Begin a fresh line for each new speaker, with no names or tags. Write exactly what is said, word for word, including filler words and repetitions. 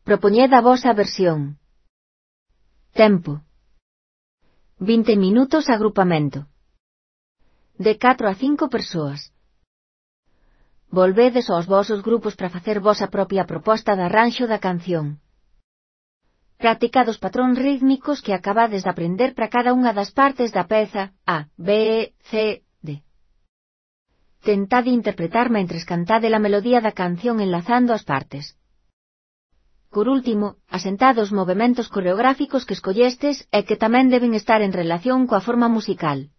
Propoñed a vosa versión. Tempo. vinte minutos agrupamento. De catro a cinco persoas. Volvedes aos vosos grupos para facer vosa propia proposta de arranxo da canción. Practicad os patróns rítmicos que acabades de aprender para cada unha das partes da peza A, B, C, D. Tentad interpretar mentres cantade a melodía da canción enlazando as partes. Por último, asentad os movementos coreográficos que escollestes e que tamén deben estar en relación coa forma musical.